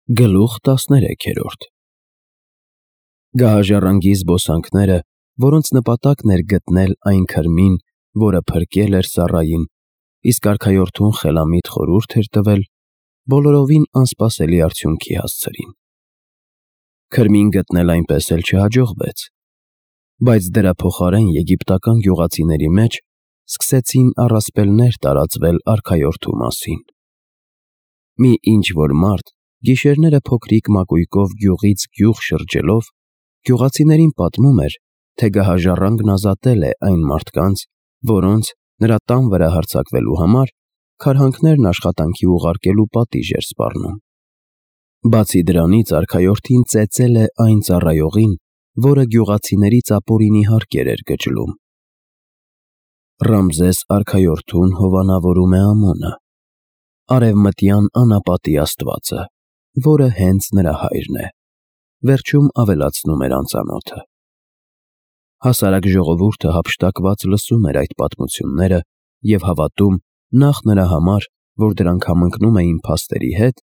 Գլուխ 13 Գահաժառանգի զբոսանքները, որոնց նպատակն էր գտնել այն քրմին, որը փրկել էր Սառային, իսկ արքայորդուն խելամիտ խորհուրդ էր տվել, բոլորովին անսպասելի արդյունքի հասցրին։ Քրմին գտնել այնպես էլ չհաջողվեց, բայց դրա փոխարեն եգիպտական գյուղացիների մեջ սկսեցին առասպելներ տարածվել արքայորդու մասին։ Մի ինչ-որ մարդ գիշերները փոքրիկ մակույկով գյուղից գյուղ շրջելով, գյուղացիներին պատմում էր, թե գահաժառանգն ազատել է այն մարդկանց, որոնց նրա տան վրա հարձակվելու համար քարհանքներն աշխատանքի ուղարկելու պատիժ էր սպառնում։ Բացի դրանից արքայորդին ծեծել է այն ծառայողին, որը գյուղացիներից ապօրինի հարկեր էր գճլում։ Ռամզես արքայորդուն հովանավորում է Ամոնը, արևմտյան անապատի աստվածը, որը հենց նրա հայրն է, վերջում ավելացնում էր անծանոթը։ Հասարակ ժողովուրդը հափշտակված լսում էր այդ պատմությունները և հավատում նախ նրա համար, որ դրանք համընկնում էին փաստերի հետ,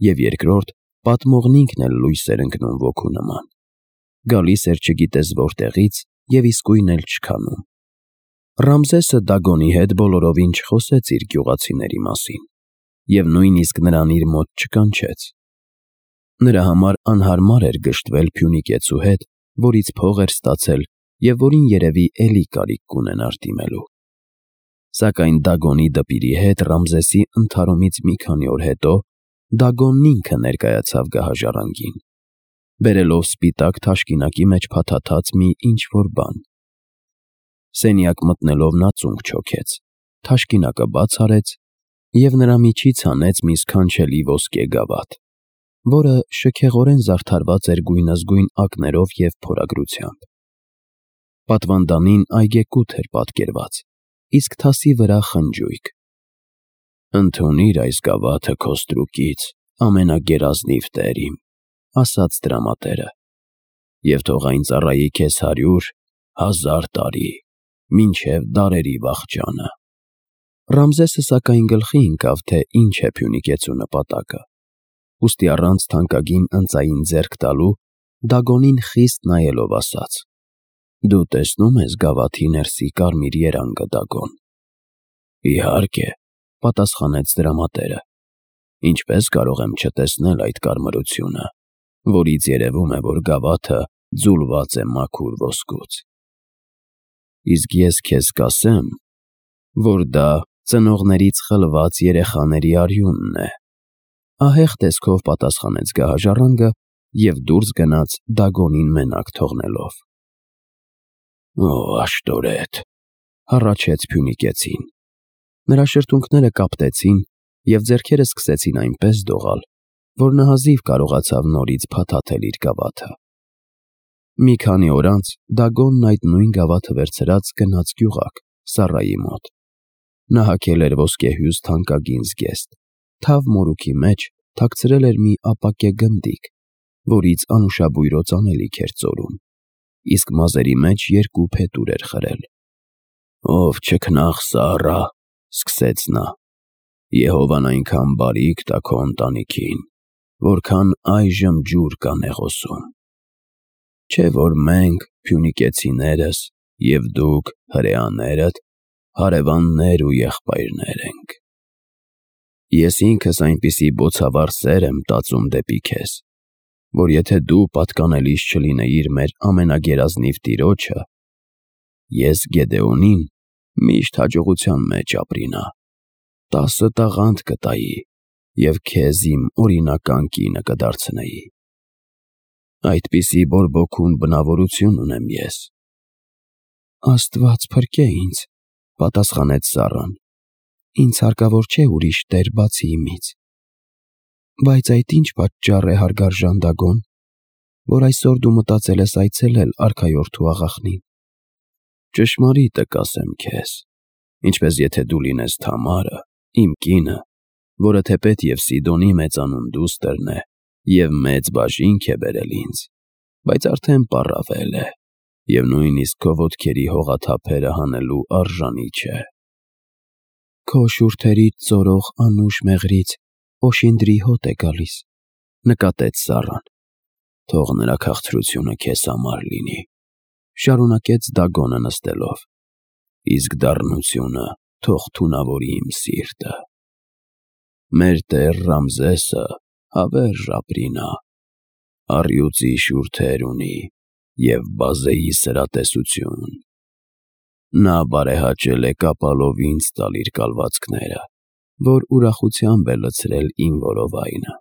և երկրորդ, պատմողն ինքն էլ լույս էր ընկնում ոգու նման, գալիս էր չգիտես որտեղից և իսկույն էլ չքանում։ Ռամզեսը Դագոնի հետ բոլորովին չխոսեց իր գյուղացիների մասին և նույնիսկ նրան իր մոտ չկանչեց։ Նրա համար անհարմար էր գժտվել Փյունիկեցու հետ, որից փող էր ստացել և որին երևի էլի կարիք կունենար դիմելու։ Սակայն Դագոնի դպիրի հետ Ռամզեսի ընդհարումից մի քանի օր հետո Դագոնն ինքը ներկայացավ գահաժառանգին, բերելով սպիտակ թաշկինակի մեջ փաթաթած մի ինչ-որ բան։ Սենյակ մտնելով նա ծունկ չոքեց, թաշկինակը բաց արեց և նրա միջից հանեց մի սքանչելի ոսկե գավաթ, որը շքեղորեն զարդարված էր գույնզգույն ակներով և փորագրությամբ։ Պատվանդանին այգեկութ էր պատկերված, իսկ թասի վրա խնջույք։ «Ընդունիր այս գավաթը քո ստրուկից, ամենագերազնիվ տեր իմ», ասաց տրամատերը, «և թող այն ծառայի քեզ 100,000 տարի, մինչև դարերի վախճանը»։ Ռամզեսը սակայն գլխի ընկավ, թե ինչ է Փյունիկեցու նպատակը, ուստի առանց թանկագին ընծային ձեռք տալու Դագոնին խիստ նայելով ասաց. «Դու տեսնո՞ւմ ես գավաթի ներսի կարմիր երանգը, Դագոն»։ «Իհարկե», պատասխանեց տրամատերը, «ինչպես կարող եմ չտեսնել այդ կարմրությունը, որից երևում է, որ գավաթը ձուլված է մաքուր ոսկուց։ Իսկ ես քեզ կասեմ, որ դա ծնողներից խլված երեխաների արյունն է», ահեղ տեսքով պատասխանեց գահաժառանգը և դուրս գնաց Դագոնին մենակ թողնելով։ «Օ, աշտորետ», հառաչեց Փյունիկեցին։ Նրա շրթունքները կապտեցին և ձեռքերը սկսեցին այնպես դողալ, որ նա հազիվ կարողացավ նորից փաթաթել իր գավաթը։ Մի քանի օր անց Դագոնն այդ նույն գավաթը վերցրած գնաց գյուղակ, Սառայի մոտ։ Նա հագել էր ոսկեհյուծ թանկագին զգեստ, թավ մորուքի մեջ թաքցրել էր մի ապակե գնդիկ, որից անուշաբույրոց անելիք էր ծորում, իսկ մազերի մեջ 2 փետուր էր խրել։ «Ով չքնաղ Սառա», սկսեց նա, «Եհովան այնքան բարիք տա քո ընտանիքին, որքան այժմ ջուր կա նեղոսում։ Չէ՞ որ մենք, փյունիկեցիներս, և դուք, հրեաներդ, հարևաններ ու եղբայրներ ենք։ Ես ինքս այնպիսի բոցավառ սեր եմ տածում դեպի քեզ, որ եթե դու պատկանելիս չլինեիր մեր ամենագերազնիվ տիրոջը, ես Գեդեոնին միշտ հաջողության մեջ ապրինա, 10 տաղանդ կտայի և քեզ իմ օրինական կինը կդարձնեի։ Այդպիսի բորբոքուն բնավորություն ունեմ ես»։ «Աստված փրկե ինձ», պատասխանեց Սառան, «ինձ հարկավոր չէ ուրիշ տեր բացի իմից։ Բայց այդ ինչ պատճառ է, հարգարժան Դագոն, որ այսօր դու մտածել ես այցելել արքայորդու աղախնին»։ «Ճշմարիտը կասեմ քեզ, ինչպես եթե դու լինես Թամարը, իմ կինը, որը թեպետ և Սիդոնի մեծանուն դուստրն է և մեծ բաժինք է բերել ինձ, բայց արդեն պառավել է և նույնիսկ քո ոտքերի հողաթափերը հանելու արժանի չէ։ Քո շուրթերից ծորող անուշ մեղրից օշինդրի հոտ է գալիս, նկատեց Սառան։ Թող նրա քաղցրությունը քեզ համար լինի, շարունակեց Դագոնը նստելով, իսկ դառնությունը թող թունավորի իմ սիրտը։ Մեր տեր Ռամզեսը հավերժ ապրինա, առյուծի շուրթեր ունի և բազեի սրատեսություն։ Նա բարեհաճել է կապալով ինձ տալ իր կալվածքները, որ ուրախությամբ է լցրել իմ որովայնը,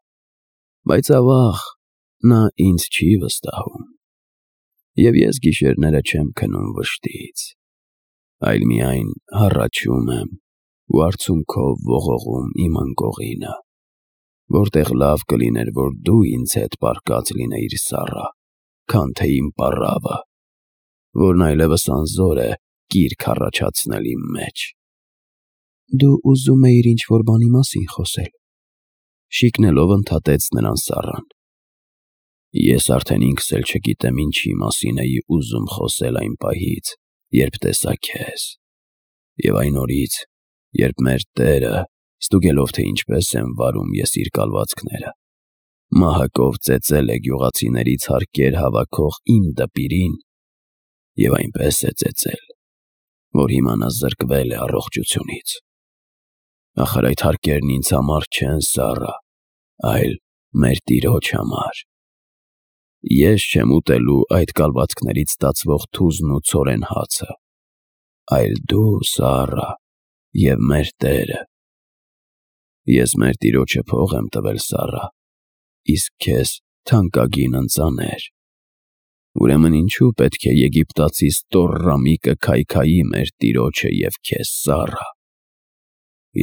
բայց ավաղ նա ինձ չի վստահում, և ես գիշերները չեմ քնում վշտից, այլ միայն հառաչում եմ ու արցունքով ողողում իմ անկողինը, որտեղ լավ կլիներ, որ դու ինձ հետ պառկած լինեիր, Սառա, քան թե իմ պառավը, որն այլևս անզոր է կիրք առաջացնել իմ մեջ։ Դու ուզում էիր ինչ-որ բանի մասին խոսել, շիկնելով ընդհատեց նրան Սառան։ Ես արդեն ինքս էլ չգիտեմ ինչի մասին էի ուզում խոսել այն պահից, երբ տեսա քեզ, և այն օրից, երբ մեր Տերը, ստուգելով, թե ինչպես եմ վարում ես իր կալվածքները, մահակով ծեծել է գյուղացիներից հարկեր հավաքող իմ դպիրին և այնպես է ծեծել, որ հիմա նա զրկվել է առողջությունից։ Ախր այդ հարկերն ինձ համար չեն, Սառա, այլ մեր Տիրոջ համար։ Ես չեմ ուտելու այդ կալվածքներից ստացվող թուզն ու ցորեն հացը, այլ դու, Սառա, և մեր Տերը։ Ես մեր Տիրոջը փող եմ տվել, Սառա, իսկ քեզ թանկագին ընծաներ։ Ուրեմն ինչու պետք է եգիպտացի ստոռրամիկը քայքայի մեր Տիրոջը և քեզ, Սառա։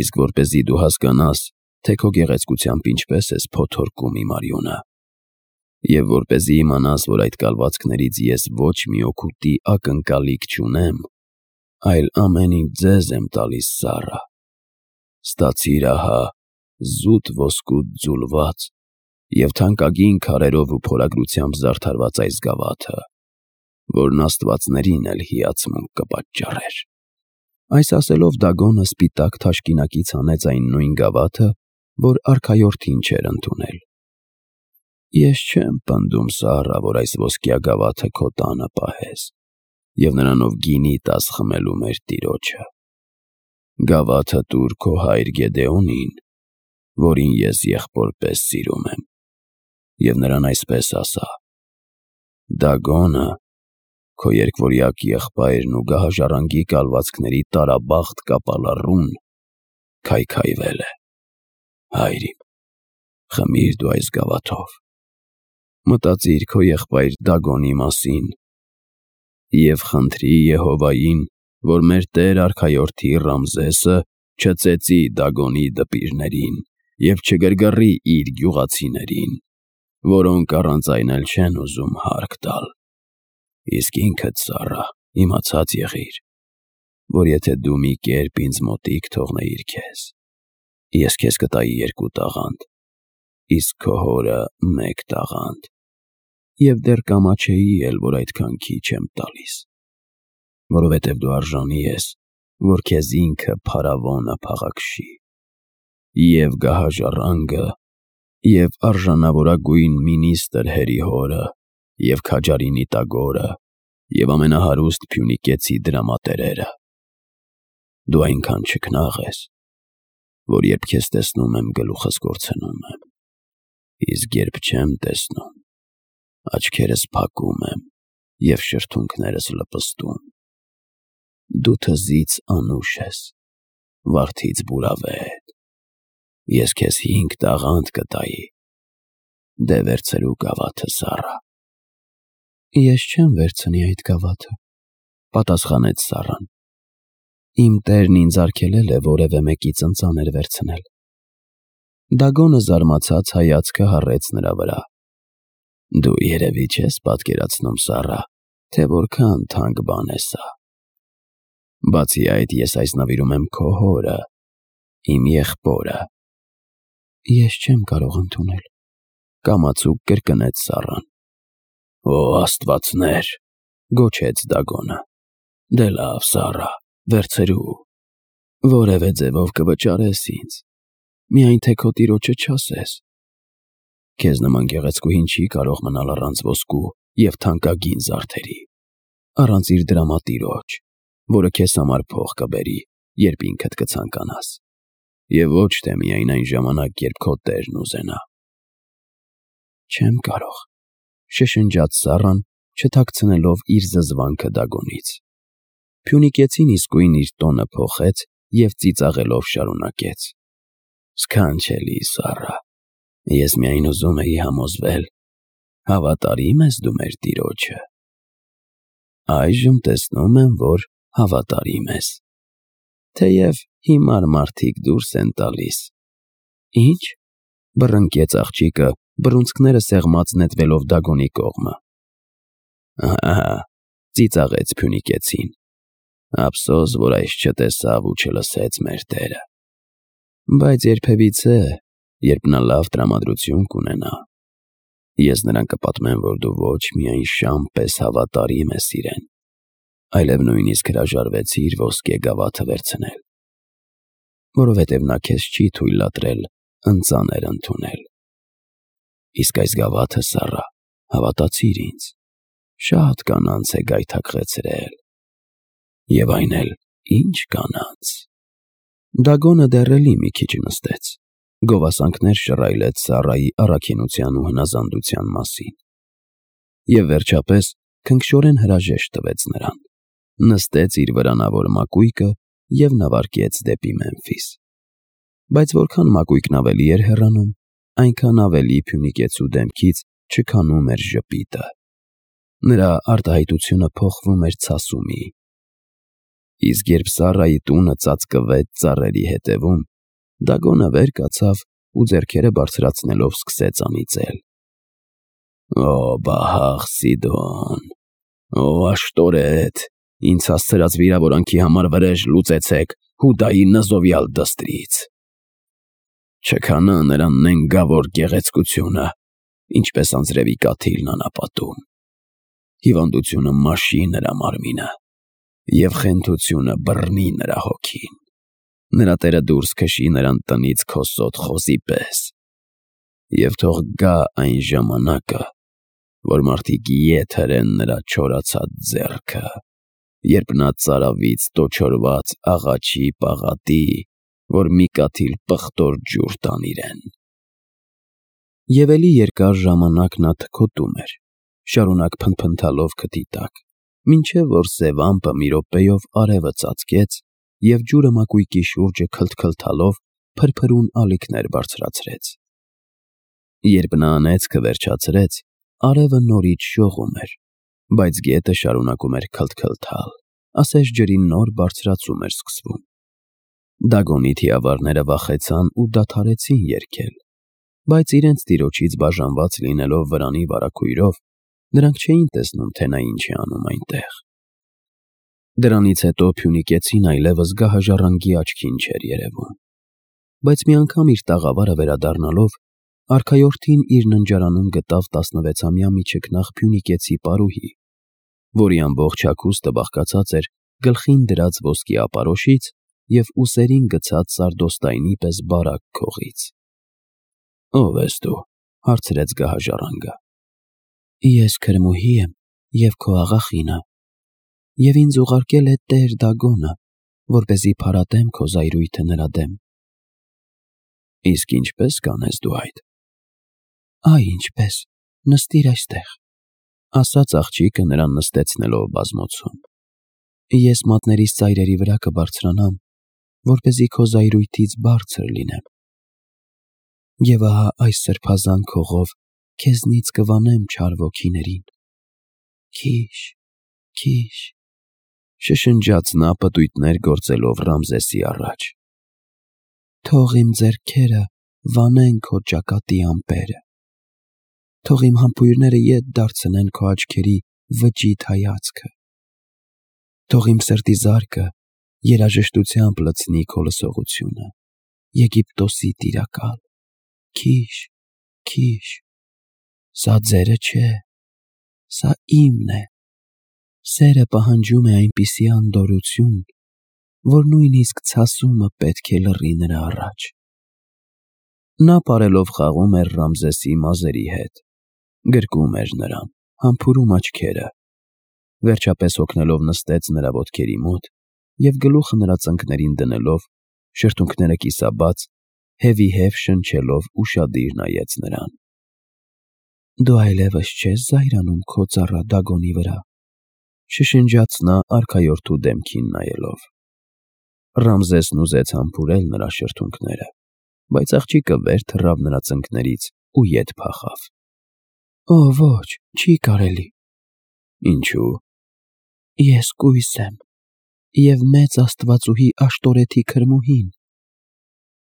Իսկ որպեսզի դու հասկանաս, թե քո գեղեցկությամբ ինչպես ես փոթորկում իմ արյունը, և որպեսզի իմանաս, որ այդ կալվածքներից ես ոչ մի օգուտի ակնկալիք չունեմ, այլ ամեն ինչ ձեզ եմ տալիս, Սառա, ստացիր ահա զուտ ոսկուց ձուլված և թանկագին քարերով ու փորագրությամբ զարդարված այս գավաթը, որն աստվածներին էլ հիացմունք կպատճառեր։ Այս ասելով Դագոնը սպիտակ թաշկինակից հանեց այն նույն գավաթը, որ արքայորդին չէր ընդունել։ Ես չեմ պնդում, Սառա, որ այս ոսկյա գավաթը քո տանը պահես և նրանով գինի տաս խմելու մեր Տիրոջը։ Գավաթը տուր քո հայր Գեդեոնին, որին ես եղբոր պես սիրում եմ, և նրան այսպես ասա. Դագոնը, քո երկվորյակ եղբայրն ու գահաժառանգի կալվածքների տարաբախտ կապալառուն, քայքայվել է։ Հայր իմ, խմիր դու այս գավաթով, մտածիր քո եղբայր Դագոնի մասին և խնդրի Եհովային, որ մեր տեր արքայորդի Ռամզեսը չծեծի Դագոնի դպիրներին և չգրգռի իր գյուղացիներին, որոնք առանց այն էլ չեն ուզում հարկ տալ։ Իսկ ինքդ, Սառա, իմացած եղիր, որ եթե դու մի կերպ ինձ մոտիկ թողնեիր քեզ, ես քեզ կտայի 2 տաղանդ, իսկ քո հորը 1 տաղանդ, և դեռ կամաչեի էլ, որ այդքան քիչ եմ տալիս, որովհետև դու արժանի ես, որ քեզ ինքը փարավոնը փաղաքշի, և գահաժառանգը, և արժանավորագույն մինիստրը հերի հորը, և քաջարի Տագորը, և ամենահարուստ Փյունիկեցի դրամատերերը։ Դու այնքան չքնաղ ես, որ երբ քեզ տեսնում եմ, գլուխս կորցնում եմ, իսկ երբ չեմ տեսնում, աչքերս փակում եմ և շրթունքներս լպստում։ Դու թզից անուշ ես, վարդից բուրավետ։ Ես քեզ 5 տաղանդ կտայի, դե վերցրու գավաթը, Սառա։ Ես չեմ վերցնի այդ գավաթը, պատասխանեց Սառան։ Իմ տերն ինձ արգելել է որևէ մեկից ընծաներ վերցնել։ Դագոնը զարմացած հայացքը հառեց նրա վրա։ Դու երևի չես պատկերացնում, Սառա, թե որքան թանկ բան է սա։ Բացի այդ, ես այս նվիրում եմ քո հորը, իմ եղբորը։ Ես չեմ կարող ընդունել, կամացուկ կրկնեց Սառան։ Օ աստվածներ, գոչեց Դագոնը։ Դե լավ, Սառա, վերցրու, որևէ ձևով կվճարես ինձ, միայն թե քո տիրոջը չասես։ Քեզ նման գեղեցկուհին չի կարող մնալ առանց ոսկու և թանկագին զարդերի, առանց իր դրամատիրոջ, որը քեզ համար փող կբերի, երբ ինքդ կցանկանաս, և ոչ թե միայն այն ժամանակ, երբ քո տերն ուզենա։ Չեմ կարող, շշնջաց Սառան, չթաքցնելով իր զզվանքը Դագոնից։ Փյունիկեցին իսկույն իր տոնը փոխեց և ծիծաղելով շարունակեց. Սքանչելի Սառա, ես միայն ուզում էի համոզվել, հավատարի՞մ ես դու մեր տիրոջը։ Այժմ տեսնում եմ, որ հավատարիմ ես, թեև հիմար մարդիկ դուրս են տալիս։ Ի՞նչ, բռնկեց աղջիկը, բռունցքները սեղմած նետվելով Դագոնի կողմը։ Ահա, ծիծաղեց փյունիկեցին, ափսոս, որ այս չտեսավ ու չլսեց մեր տերը։ Բայց երբևիցե, երբ նա լավ տրամադրություն կունենա, ես նրան կպատմեմ, որ դու ոչ միայն շամ պես հավատարիմ ես իրեն, այլև նույնիսկ հրաժարվեցիր ոսկե գավաթը վերցնել, որովհետև նա քեզ չի թույլատրել ընծաներ ընդունել։ Իսկ այս գավաթը, Սառա, հավատացիր ինձ, շատ կանանց է գայթակղեցրել։ Եվ այն էլ ինչ կանանց։ Դագոնը դեռ էլի մի քիչ նստեց, գովասանքներ շռայլեց Սառայի առաքինության ու հնազանդության մասին։ Եվ վերջապես քնքշորեն հրաժեշտ տվեց նրան, նստեց իր վրանավոր մակույկը և նավարկեց դեպի Մեմֆիս։ Բայց որքան մակույկն ավելի էր հեռանում, այնքան ավելի փյունիկեցու դեմքից չքանում էր ժպիտը։ Նրա արտահայտությունը փոխվում էր ցասումի։ Իսկ երբ Սառայի տունը ծածկվեց ծառերի հետևում, Դագոնը վեր կացավ ու ձեռքերը բարձրացնելով սկսեց անիծել. Օ, բահաղ Սիդոն, օ, աշտորետ, ինձ հասցրած վիրավորանքի համար վրեժ լուծեցեք Հուդայի նզովյալ դստրից։ Չքանա նրա նենգավոր գեղեցկությունը, ինչպես անձրևի կաթիլն անապատում։ Հիվանդությունը մաշի նրա մարմինը, և խենթությունը բռնի նրա հոգին։ Նրա տերը դուրս քշի նրան տնից քոսոտ խոզի պես։ Եվ թող գա այն ժամանակը, որ մարդիկ ետ հրեն նրա չորացած ձեռքը, երբ նա ծարավից տոչորված աղաչի պաղատի, որ մի կաթիլ պղտոր ջուր տան իրեն։ Եվ էլի երկար ժամանակ նա թքոտում էր, շարունակ փնթփնթալով քթի տակ, մինչև որ սև ամպը մի րոպեով արևը ծածկեց և ջուրը մակույկի շուրջը քլթքլթալով փրփրուն ալիքներ բարձրացրեց։ Երբ նա անեծքը վերջացրեց, արևը նորից շողում էր, բայց գետը շարունակում էր քլթքլթալ, ասես ջրի նոր բարձրացում էր սկսվում։ Դագոնի թիավարները վախեցան ու դադարեցին երգել, բայց իրենց տիրոջից բաժանված լինելով վրանի վարագույրով, նրանք չէին տեսնում, թե նա ինչ է անում այնտեղ։ Դրանից հետո փյունիկեցին այլևս գահաժառանգի աչքին չէր երևում, բայց մի անգամ իր տաղավարը վերադառնալով, արքայորդին իր ննջարանում գտավ 16-ամյա միջիկնաղ փյունիկեցի պարուհի, որի ամբողջ հագուստը բաղկացած էր գլխին դրած ոսկի ապարոշից և ուսերին գցած սարդոստայնի պես բարակ քողից։ Ո՞վ ես դու, հարցրեց գահաժառանգը։ Ես քրմուհի եմ և քո աղախինը, և ինձ ուղարկել է տեր Դագոնը, որպեսզի փարատեմ քո զայրույթը նրա դեմ։ Իսկ ինչպե՞ս կանես դու այդ։ Այ ինչպես, նստիր այստեղ, ասաց աղջիկը նրան նստեցնելով բազմոցում։ Ես մատներիս ծայրերի վրա կբարձրանամ, որպեսզի քո զայրույթից բարձր լինեմ։ Եվ ահա այս սրբազան քողով քեզնից կվանեմ չար ոգիներին։ Քիշ, քիշ, շշնջաց նա պտույտներ գործելով Ռամզեսի առաջ։ Թող իմ ձեռքերը վանեն քո ճակատի ամպերը։ Թող իմ համբույրները ետ դարձնեն քո աչքերի վճիտ հայացքը։ Թող իմ սրտի զարկը երաժշտությամբ լցնի քո լսողությունը, Եգիպտոսի տիրակալ։ Քիշ, քիշ, սա ձերը չէ, սա իմն է։ Սերը պահանջում է այնպիսի անդորրություն, որ նույնիսկ ցասումը պետք է լռի նրա առաջ։ Նա պարելով խաղում էր Ռամզեսի մազերի հետ, գրկում էր նրան, համբուրում աչքերը, վերջապես հոգնելով նստեց նրա ոտքերի մոտ և գլուխը նրա ծնկներին դնելով, շրթունքները կիսաբաց, հևիհև շնչելով ուշադիր նայեց նրան։ «Դու այլևս չես զայրանում քո ծառա Դագոնի վրա», շշնջաց նա արքայորդու դեմքին նայելով։ Ռամզեսն ուզեց համբուրել նրա շրթունքները, բայց աղջիկը վեր թռավ նրա ծնկներից ու ետ փախավ։ «Օ, ոչ, չի կարելի»։ «Ինչու»։ «Ես կույս եմ և մեծ աստվածուհի Աշտորեթի քրմուհին։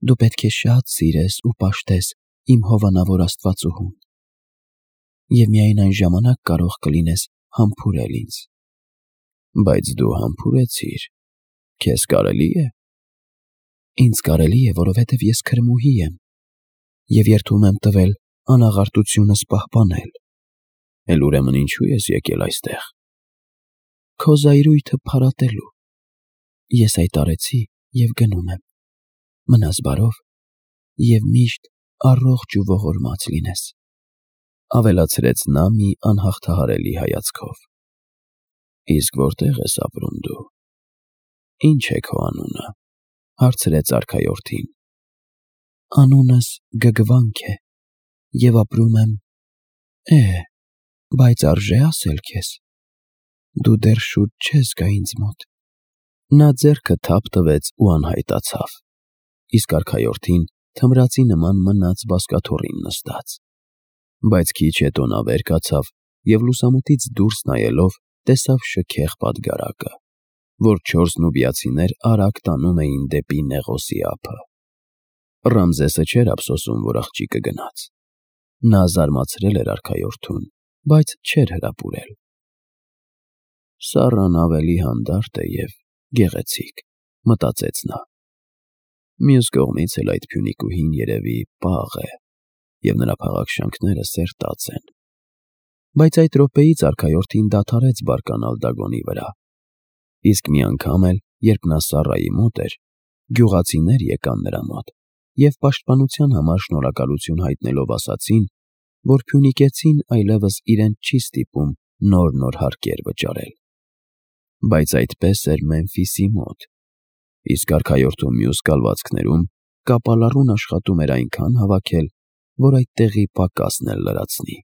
Դու պետք է շատ սիրես ու պաշտես իմ հովանավոր աստվածուհուն, և միայն այն ժամանակ կարող կլինես համբուրել ինձ»։ «Բայց դու համբուրեցիր, քեզ կարելի է»։ «Ինձ կարելի է, որովհետև ես քրմուհի եմ և երդում եմ տվել անաղարտությունս պահպանել»։ «Էլ ուրեմն ինչու ես եկել այստեղ»։ «Քո զայրույթը փարատելու։ Ես այդ արեցի և գնում եմ։ Մնաս բարով և միշտ առողջ ու ողորմած լինես», ավելացրեց նա մի անհաղթահարելի հայացքով։ «Իսկ որտե՞ղ ես ապրում դու։ Ինչ է քո անունը», հարցրեց արքայորդին։ «Անունս Գգվանք է, և ապրում եմ… բայց արժե՞ ասել քեզ։ Դու դեռ շուտ չես գա ինձ մոտ»։ Նա ձեռքը թափ տվեց ու անհայտացավ, իսկ արքայորդին թմրածի նման մնաց բազկաթոռին նստած։ Բայց քիչ հետո նա վեր կացավ և լուսամուտից դուրս նայելով տեսավ շքեղ պատգարակը, որ 4 նուբիացիներ արագ տանում էին դեպի Նեղոսի ափը։ Ռամզեսը չէր ափսոսում, որ աղջիկը գնաց։ Նա զարմացրել էր արքայորդուն, բայց չէր հրապուրել։ «Սառան ավելի հանդարտ է և գեղեցիկ», մտածեց նա։ Մյուս կողմից էլ այդ փյունիկուհին երևի պաղ է, և նրա փաղաքշանքները սերտած են։ Բայց այդ րոպեից արքայորդին դադարեց բարկանալ Դագոնի վրա, իսկ մի անգամ էլ, երբ նա Սառայի մոտ էր, գյուղացիներ եկան նրա մոտ և պաշտպանության համար շնորհակալություն հայտնելով ասացին, որ փյունիկեցին այլևս իրենց չի ստիպում նոր հարկեր վճարել։ Բայց այդպես էր Մեմֆիսի մոտ, իսկ արքայորդու մյուս կալվածքներում կապալառուն աշխատում էր այնքան հավաքել, որ այդ տեղի պակասն էլ լրացնի։